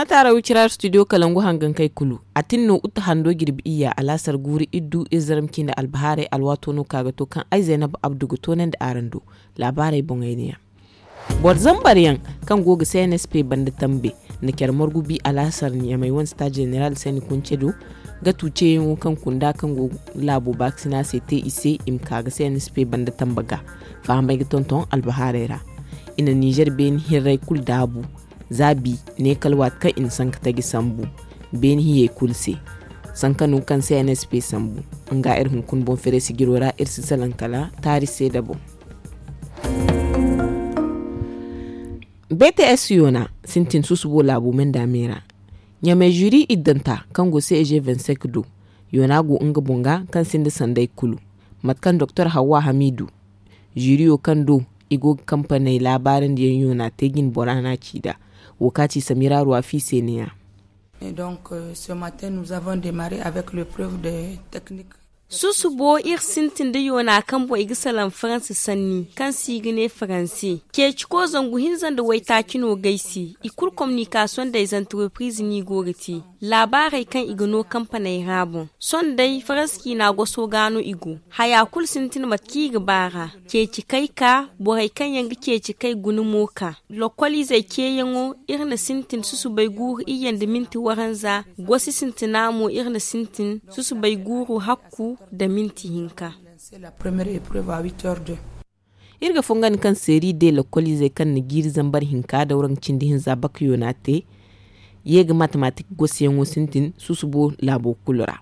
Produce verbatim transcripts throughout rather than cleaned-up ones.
A taara wicira studio kalangu hangankey kulu. A tin no uta hando jirbi iyya alaasar guuru iddu iri zarma ciine albahaarey alwaato no ka ga to kaŋ ay zaynab abdu ga toonandi araŋ do. Laabaarey boŋey ne yaŋ. Boro zambar yaŋ kaŋ go ga cnsp banda tambe na care margu bi alaasar ɲamey wane staade zeneral sani kunce do. Ga tu ceeyaŋo kaŋ kunda kaŋ go laabo baakasina se te i se i ma ka ga cnsp banda tamba ga fahamey ga tonton albahaarey ra. I na nizer beeni hirrey kulu daabu. Za bi ne kala waati kaŋ i na sanka taji sambu beene hiyey kulu se. Sanka no kaŋ se nsp sambu nga iri hunkuna boŋ fere sijiro ra iri si salaŋ kala taari seeda boŋ. Bts yoona sintin susubo laabo menda me ra. Ɲamey zuri iddanta kaŋ go ceg vingt-cinq do yoona go nga boŋ ga kaŋ sinda sanday kulu. Mate kaŋ doktor hawwa hamidu zuriyo kaŋ do i go ga kampaney laabaarandi yaŋ yoona te jine bora no a ci nd'a. Wo kaŋ a ci samira ruwa fi se ne- ya. Et donc, ce matin nous avons démarré avec l'épreuve de technique. Susubo iri sintin da yoona kaŋ boŋ i ga salaŋ faransi sanni kaŋ se i ga ne faransi ceeci ko zangu hinza nda waytaaci no ga ay se. I kulu kominikasiyoŋ da ay zantarepiriz no i go ga te laabaarey kaŋ i ga no kampaney ra boŋ. Sohõ day faransi ciina goso ga no i go. Haya kulu sintin mate kaŋ i ga ba ra. Ceeci kay ka borey kaŋ yaŋ ga ceeci kay guna mo ka. Lokoliizey ceeyaŋo iri na sintin susubay guuru iyye nda minti waranza. Gosi sintina mo iri na sintin susubay guuru hakku nda minti hinka. Iri ga fongandi kaŋ seeri de lokoliizey kaŋ na jiiri zambar hinka dawraŋ cindi hinza bakayo no a te. Ye ga matematik gosiyaŋo sintin susubo laabo kulu ra.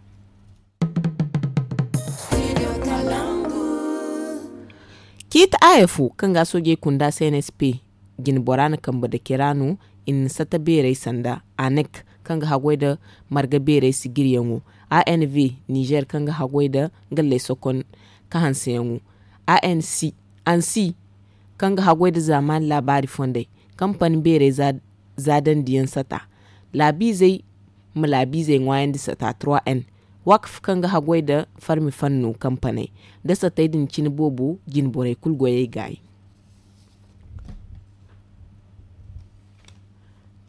Ciiti aya fo kaŋ ga soojey kunda cnsp jine bora na kambe dake ra no. I na sata beerey sanda anek kaŋ ga haggoy nda marga beerey sijiryaŋo. Anv nizer kaŋ ga haggoy nda galley sokon kahanseyaŋo. Anc ansi kaŋ ga haggoy nda zaamaani laabaari fondey kampani beerey zaadandiyaŋ sata. Laabiizey ma laabiizey ŋwaayandi sata trois n. Wakf kaŋ ga haggoy nda farmi fanno kampaney nda satey din cine boobo jine borey kulu goyey gaayi.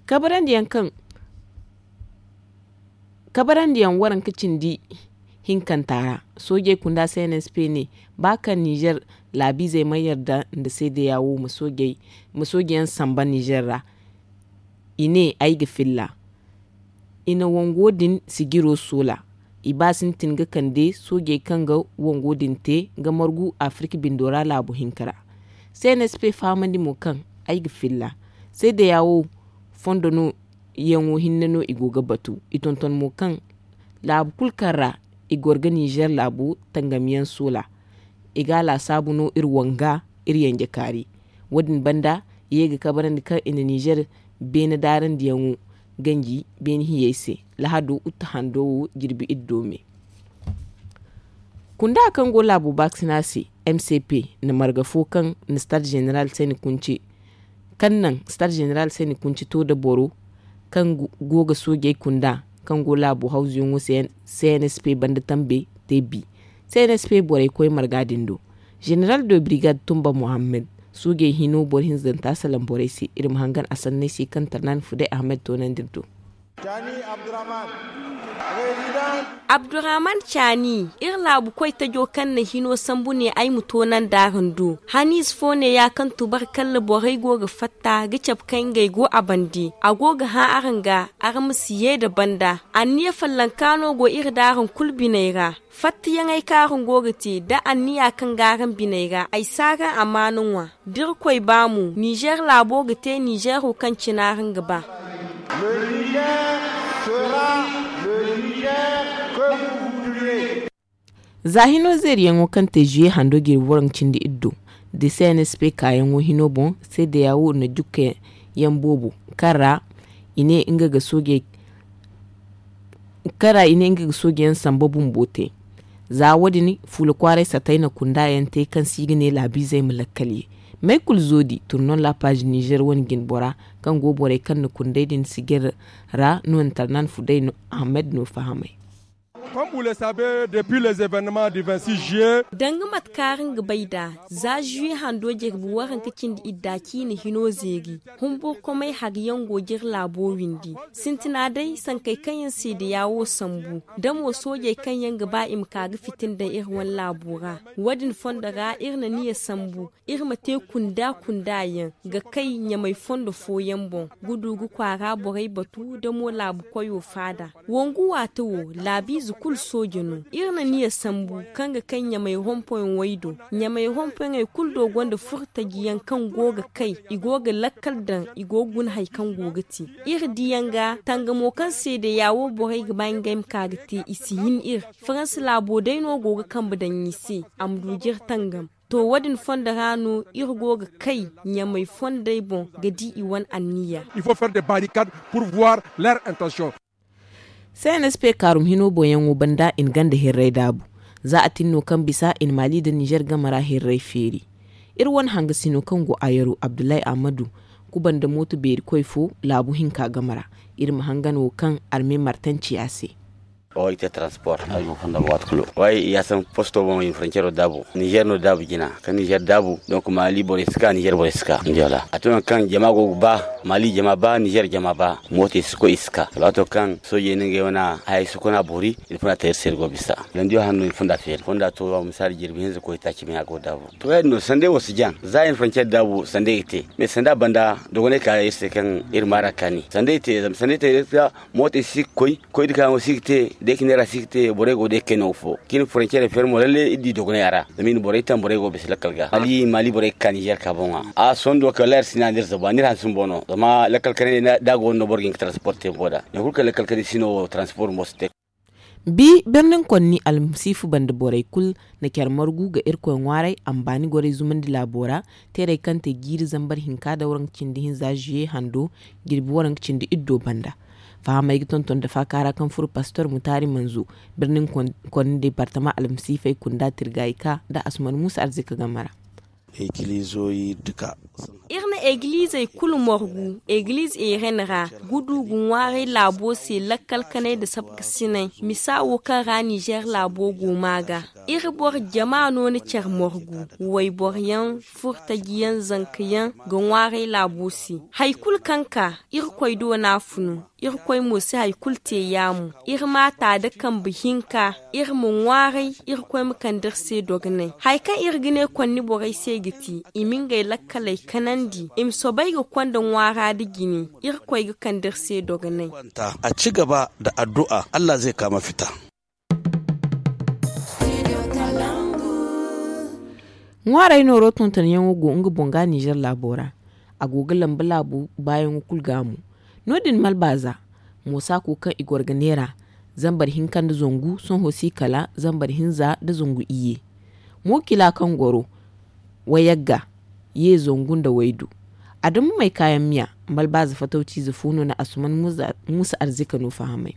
Kabarandiyaŋ kaŋ kabarandiyaŋ waranka cindi hinkanta ra. Soojey kunda cnsp ne ba kaŋ nizer laabiizey ma yarda nda seedeya wo ma soojeyaŋ samba nizer ra. I ne ay ga filla. I na wango din sijiro soola. I ba sintin ga kande soojey kaŋ ga wango din te ga margu afirka bindo ra laabu hinka ra. Cnsp fahamandi mo kaŋ ay ga filla seedeya wo fondo no yaŋo hinne no i go ga batu. I tonton mo kaŋ laabu kulu kaŋ ra i goro ga nizer laabu tangamiyaŋ soola. I ga a laasaabu no iri wanga iri yanje kaari. Wo- din banda i ye ga kabarandi kaŋ i na nizer beene daarandiyaŋo ganji beene hiyey se. Lahado uta hando wo jirbi iddo me. Kunda kaŋ go laabo baakasina se mcp na marga fo kaŋ na stade zeneral sani kunce kaŋ naŋ stade zeneral sani kunce to nda boro kaŋ go ga soojey kunda kaŋ go laabo hawzuyaŋo se cnsp banda tambe te bi. Cnsp borey koy marga din do. Zeneral de brigade tumba mohammed soojey hino boro hinzanta salaŋ borey se iri ma hangan a sanney se kaŋ tarnani fuday ahmed toonandi iri do. Abdurrahman caani iri laabu koy tajo kaŋ na hino sambu ne ay ma toonandi araŋ do. Haniize fo neeya kaŋ tubarkalla borey go ga fatta ga cabe kaŋ ngey go a bande a go ga hã araŋ ga. Araŋ ma si ye nda banda anniya fallanka no go iri da araŋ kulu biney ra. Fattayaŋey kaŋ araŋ go ga te da anniya kaŋ ga araŋ biney ra ay si araŋ amaana ŋwa. Da irkoy ba mo nizer laabo ga te nizero kaŋ cine araŋ ga ba. Za hino zeeriyaŋo kaŋ te zuye hando jirbi waranka cindi iddo da cnsp kaayaŋo hino boŋ seedeya wo na jukka yaŋ boobo kaŋ ra i ne nga ga soojey kaŋ ra i ne nga ga soojeyaŋ samba bumbo te. Za wo- din fuula kwaaray satay na kunda yaŋ te kaŋ se i ga ne laabiizey ma lakkal ye. Maykul zoodi turnon la paazi nizer wane jinbora kaŋ go borey kaŋ na kundey din sijir ra no na tarnan fuday ahmed no fahamay. Comme vous le savez, depuis les événements du vingt-six juillet, danga mate kaŋ araŋ ga bay nd'a, za juillet hando jirbi waranka cindi idda ciine hino zeeri, humburkumay hariyaŋ go ga iri laabo windi. Sintina day sankey kaŋ yaŋ seedeya wo sambu, da mo soojey kaŋ yaŋ ga ba i ma ka ga fitina daŋ iri wane laabo ra. Wo- din fondo ra iri na niya sambu, iri ma te kunda kunda yaŋ ga kay ɲamay fondo fooyaŋ boŋ, ga du ga kwaara borey batu da mo laabu koyo faada. Wangu waati wo, laabiize kulu sooje no. Iri na niya sambu kaŋ ga kay ɲamay rompoyaŋ way do. Ɲamay rompoyaŋey kulu do gonda furtaji yaŋ kaŋ go ga kay, i go ga lakkal daŋ, i go ga guna hari kaŋ go ga te. Iri diyaŋ ga tangamo kaŋ seedeya wo borey ga ba ngey ma ka ga te, i si hin iri. Faransa laabo day no go ga kambe daŋ i se, a ma du jire tangam. To, wo- din fondo ra no iri go ga kay ɲamay fondey boŋ ga di i wane anniya. Il faut faire des barricades pour voir leur intention. C N S P kaarum hino boŋyaŋo banda i na ganda hirray daabu. Za a tin no kaŋ bisa i na Maali nda Nizer game ra hirray feeri. Iri wane hangasino kaŋ go Ayaru Abdullahi Ahmadu kuba nda mooto beeri koy fo laabu hinka game ra. Iri ma hangan wo kaŋ arme martanciya se. Way te transport ay go fonda waati kulu. Way ya san posto boŋ i frontiero daabu, nizer no daabu jina kaŋ nizer daabu. Donc maali borey si ka nizer borey si ka. A to nangu kaŋ jama go ga ba, maali jama ba, nizer jama ba, mooto i si koy i si ka. Alwaato kaŋ soojey na ngey wane haya si kona boori, i na fonda te iri se iri go bisa. Landiyo hanno i na fonda feeri fonda to, misali jirbi hinza koy taaci me a go daabu. To ya- din no sanday wo si jaŋ za i na frontier daabu sanday ga te. Mais sanda banda dogonay ka iri se kaŋ iri maara kaani sanday te zama sanday te. Mooto si ga koy, koy da ka yaŋo si ga te, day ka neera si ga te, borey go day kayna wo fo. Kaŋ i na frontiere feeri mo lalle iri di dogonay a ra. Zama i na borey taŋ borey go bisa lakkal ga maali maali borey ga ka nizer ka boŋ a. A sondo kala iri si na nda iri zabu a nda iri hanse bumbo no zama lakkal kanay da a go no boro ga hin ga transport te bumbo nd'a. Nangu kulu kaŋ lakkal kanay si no transport bumbo si te. Bi birnin konni almasiifu banda borey kulu na care margu ga irkoy ŋwaaray a ma baani gorey zumandi laabo ra. Teerey kaŋ te jiiri zambar hinka da waranka cindi hinza zuye hando jirbi waranka cindi iddo banda. Fahamey ga tonton da faaka ra kaŋ furo pastor mutaari manzo birnin konni deepartama almasiifey kunda tirgayka nda asuman muusa arzika game ra. Iri na egilizey kulu margu egiliz eren ra, ga du ga ŋwaaray laabo se lakkal kanay nda sabkasinay. Misa wo kaŋ ra nizer laabo go ma ga iri boro jama no na care margu, wayboro yaŋ, furtaji yaŋ, zanka yaŋ ga ŋwaaray laabo se. Hari kulu kaŋ ka irkoy do no a funu. Irkoy mo si hari kulu te yaamo. Iri ma ta nda kambe hinka. Iri ma ŋwaaray. Irkoy ma kande iri se dogonay hari kaŋ iri ga ne konni borey se ga te, i ma ngey lakkaley kanandi, i ma soobay ga konda ŋwaara nda jine. Irkoy ga kande iri se dogonay. A ci gaba nda addu'a allah zai kaama fita. Ŋwaaray nooro tontonyaŋo go nga boŋ ga nizer laabo ra. A go ga lamba laabu baayaŋo kulu ga mo. No- din malbaaza, moosaako kaŋ i goro ga neera zambar hinka nda zangu sohõ si kala zambar hinza nda zangu iyye. Mookila kaŋ goro wayagga ye zangu nda waydu. Adamamey kaayaŋ miya. Malbaaza fatawciize fo no na asuman muusa arzika no fahamay.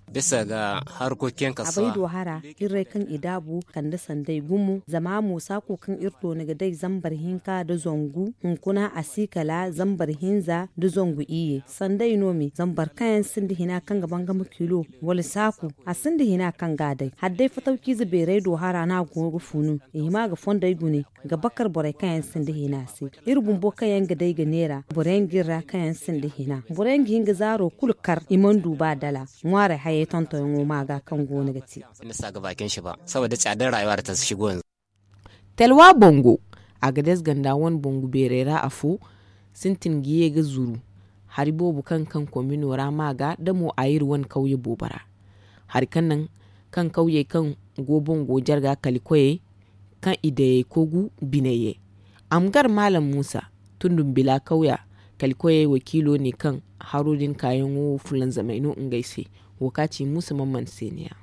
Bisa ga harkokiyaŋ kaso a bay do hara. Hirray kaŋ i daabu kande sanday gumo zama moosaako kaŋ iri doona ga day zambar hinka nda zangu hunkuna a si kala zambar hinza nda zangu iyye sanday no me zambar kaŋ yaŋ sinda hina kaŋ ga bangama kilo wala saaku. A sinda hina kaŋ ga a day hala day fatawciize beeray do hara no a go ga funu. I hima ga fondey gune ga bakar borey kaŋ yaŋ sinda hina se. Iri bumbo kaŋ yaŋ ga day ga neera boro yaŋ ga iri ra kaŋ yaŋ sinda hina boro yaŋ ga hin ga zaaro kulu kar i mana du ba dala. Ŋwaaray hayey tontonyaŋo ma ga kaŋ go no ga te. Saboda caadar rayuwa da ta shigo yanzu. Talwa bango, a ga des ganda wane bangu beeray ra afo sintin ga ye ga zuru. Hari boobo kaŋ kaŋ komino ra ma ga da mo a iri wane kawye boobo ra. Hari kaŋ naŋ kaŋ kawyey kaŋ go bango jarga kali koyey kaŋ i dayey kogu biney ye. A ma gar maalam muusa tundun bila kawya kali koyey wakiilo ne kaŋ haro din kaayaŋo fulanzamey no ngey se. Wo ka ci muusa mamman se ne ya.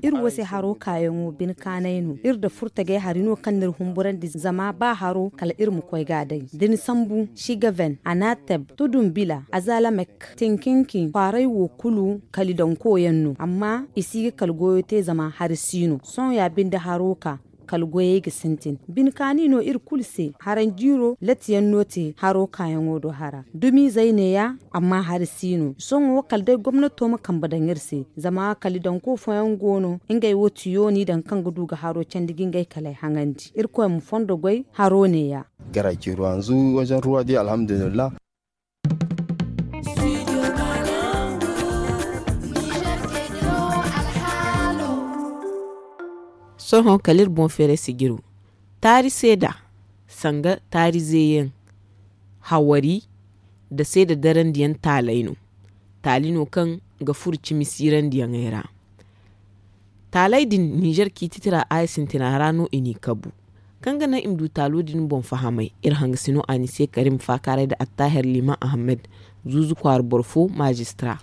Iri wo se haro kaayaŋo bine kaanay no iri nda furtagay hari no kaŋ n'iri humburandi zama ba haro kala iri ma koy ga a day da ni sambu sigaven anateb tudun bila azalamek tinkinki kwaaray wo kulu kali danko yaŋ no amma i si ga kala goyo te zama hari si no sohõ ya binde haro ka. Kala goyey ga sintin bine kaani no iri kulu se. Haranjiiro latiyaŋ no te haro kaayaŋo do hara dumiizey neeya. Amma hari si no sohõ kala day gomnato ma kambe daŋ iri se. Zama kala i daŋ ko fooyaŋ go no ngey wo tiyo n'i daŋ kaŋ ga du ga haro candi ga ngey kaley haŋandi. Irkoy ma fondo goy haro neeya. Gara ciiro hanzu wajen ruwa di alhamdulillah. Sohõ kala iri boŋ feeray sijiro taari seeda sanga taari zeeyaŋ hawari nda seeda darandiyaŋ taalay no. Taali no kaŋ ga furo cimi siirandiyaŋey ra. Taaley din ninzeer ciiti tira haya sintina ra no i n'i kabu. Kaŋ ga naŋ i ma du taalo din boŋ fahamay iri hangasino anise karim faakaaray nda attahir liman ahamed zuuzu kwaara boro fo maazistira.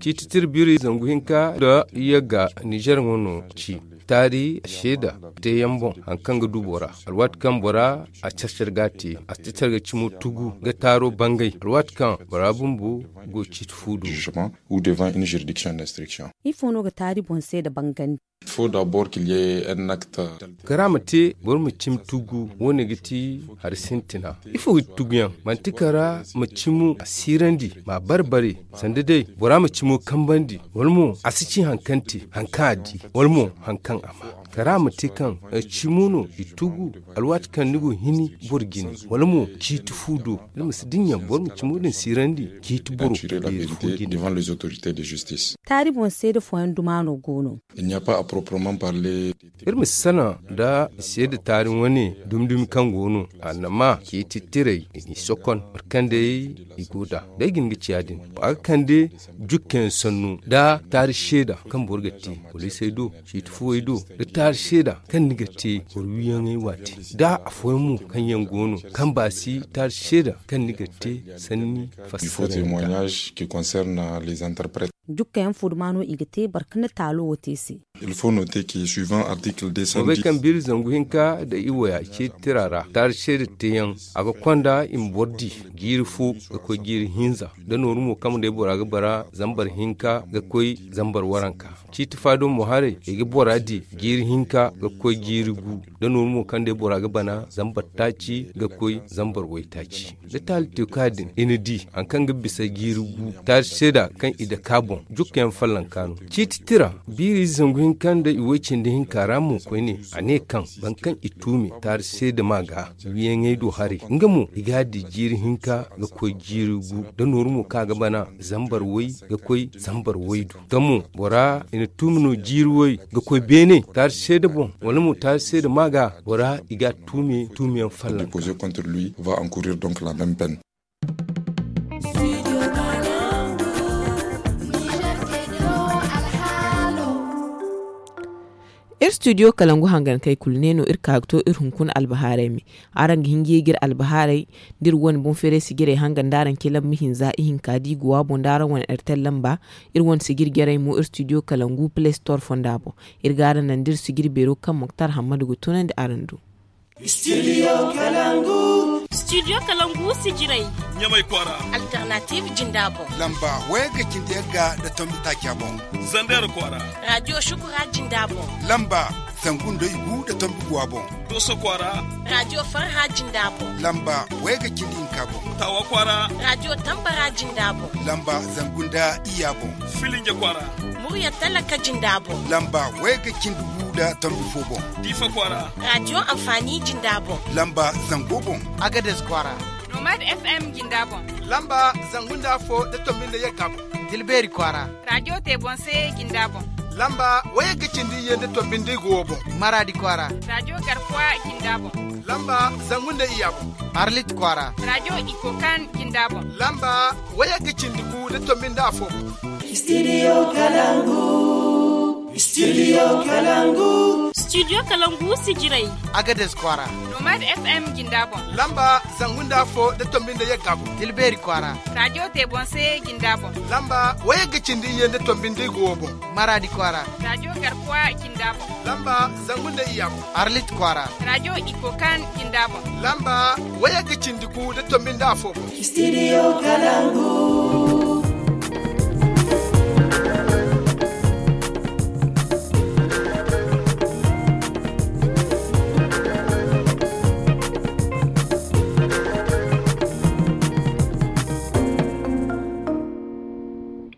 Ciiti tira biiri zangu hinka nda yagga ninzeer ŋwa no ci taari seeda teeyaŋ boŋ hari kaŋ ga du bora alwaati kaŋ bora a care care ga a te a si ti care ga cimo tugu ga taaro bangay alwaati kaŋ bora bumbo go ciiti fu do. Ifo no ga taari boŋ seeda bangandi? Kara ma te boro ma cimi tugu wo- ne ga ti hari sintina. Ifo ga ti tuguyaŋ manti kara ma cimo a siirandi ma a bare bare sanda day bora ma cimo kambandi wala mo a si ci hari kaŋ te hari kaŋ a di wala mo hari kaŋ a ma kara ma te kaŋ cimo no i tugu alwaati kaŋ ni go hini boro jine wala mo ciiti fu do. Iri ma si dinya boro ma cimo din siirandi ciiti boro beeri fo jine. Taari boŋ seeda fooyaŋ duma no go no. Iri ma si sanaŋ nda seeda taari wane dumi dumi kaŋ go no annama ciiti tirey i n'i sokon boro kaŋ day i go nd'a. Day ga hin ga ci ya- din a ga kande jukkayaŋ sannu nda taari seeda kaŋ boro ga te poliisey do ciiti fuwey do nda taari seeda kaŋ ni ga te boro wiiyaŋey waati nda afooyaŋ mo kaŋ yaŋ go no kaŋ baasi taari seeda kaŋ ni ga te sanni fassara. Jukkayaŋ fo duma no i ga te boro kaŋ na taalo wo te se. Boro bay kaŋ biiri zangu hinka nda i waya ciiti tira ra taari seeda teeyaŋ a ga konda i ma boro di jiiri fo ga koy jiiri hinza nda nooru mo kaŋ day bora ga bara zambar hinka ga koy zambar waranka. Ciiti faado mo haray i ga bora di jiiri hinka ga koy jiiri gu nda nooru mo kaŋ day bora ga bana zambar taaci ga koy zambar waytaaci. Da taali te ka din i na di hari kaŋ ga bisa jiiri gu taari seeda kaŋ i dake a boŋ jukkayaŋ fallanka no. Ciiti tira biiri zangu hinka nda i way cindi hinka ra mo koyne a ne kaŋ boro kaŋ i tuumi taari seeda ma ga wiiyaŋey do haray nga mo i ga a di jiiri hinka ga koy jiiri gu nda nooru mo kaŋ a ga bana zambar way ga koy zambar way du. Tamo bora i na tuumi no jiiri way ga koy beene taari seeda boŋ wala mo taari seeda ma ga bora i ga a tuumi tuumiyaŋ fallanka. Iri studio kalangu hangankey kulu ne no iri ka ga to iri hunkuna albahaarey me. Araŋ ga hin ga ye ga iri albahaarey da iri wane boŋ feeray sijirey hanga nda araŋ ce lamba hinza ihinka da i go a boŋ da araŋ wane airtel lamba. Iri wane sijiri jarey mo iri studio kalangu play store fonda boŋ. Iri ga araŋ naŋ da iri sijiri beero kaŋ moktar hammadu ga tunandi araŋ do. Studio kalangu. Studio kalangu sijirey. Ɲamay kwaara. Alternative jinda boŋ. Lamba wayagga cindi yagga nda tombi taaca boŋ. Zander kwaara. Radio shukura jinda boŋ. Lamba zangu nda igu nda tombi guwa boŋ. Doso kwaara. Radio farha jinda boŋ. Lamba wayagga cindi hinka boŋ. Tawa kwaara. Radio tambara jinda boŋ. Lamba zangu nda iya boŋ. Filinja kwaara. Murya talaka jinda boŋ. Lamba wayagga cindi gu nda tombi fo boŋ. Diifa kwaara. Radio amfani jinda boŋ. Lamba zango boŋ. Agades kwaara. Nomad fm jinda boŋ. Lamba zangu nda fo nda tombi nda yagga boŋ. Tilbeeri kwaara. Radio te boŋ se jinda boŋ. Lamba wayagga cindi ye nda tombi nda igu wo boŋ. Maraadi kwaara. Radio garkuwa jinda boŋ. Lamba zangu nda iya boŋ. Arlit kwaara. Radio ikokan jinda boŋ. Lamba wayagga cindi gu nda tombi nda afo boŋ. Studio kalangu. Studio kalangu. Studio kalangu sijirey. Agades kwaara. Nomad fm jinda boŋ. Lamba zangu nda afo nda tombi nda yagga boŋ. Tilbeeri kwaara. Radio te boŋ se jinda boŋ. Lamba wayagga cindi ye nda tombi nda igu wo boŋ. Maraadi kwaara. Radio garkuwa jinda boŋ. Lamba zangu nda iya boŋ. Arlit kwaara. Radio ikokan jinda boŋ. Lamba wayagga cindi gu nda tombi nda afo boŋ. Studio kalangu.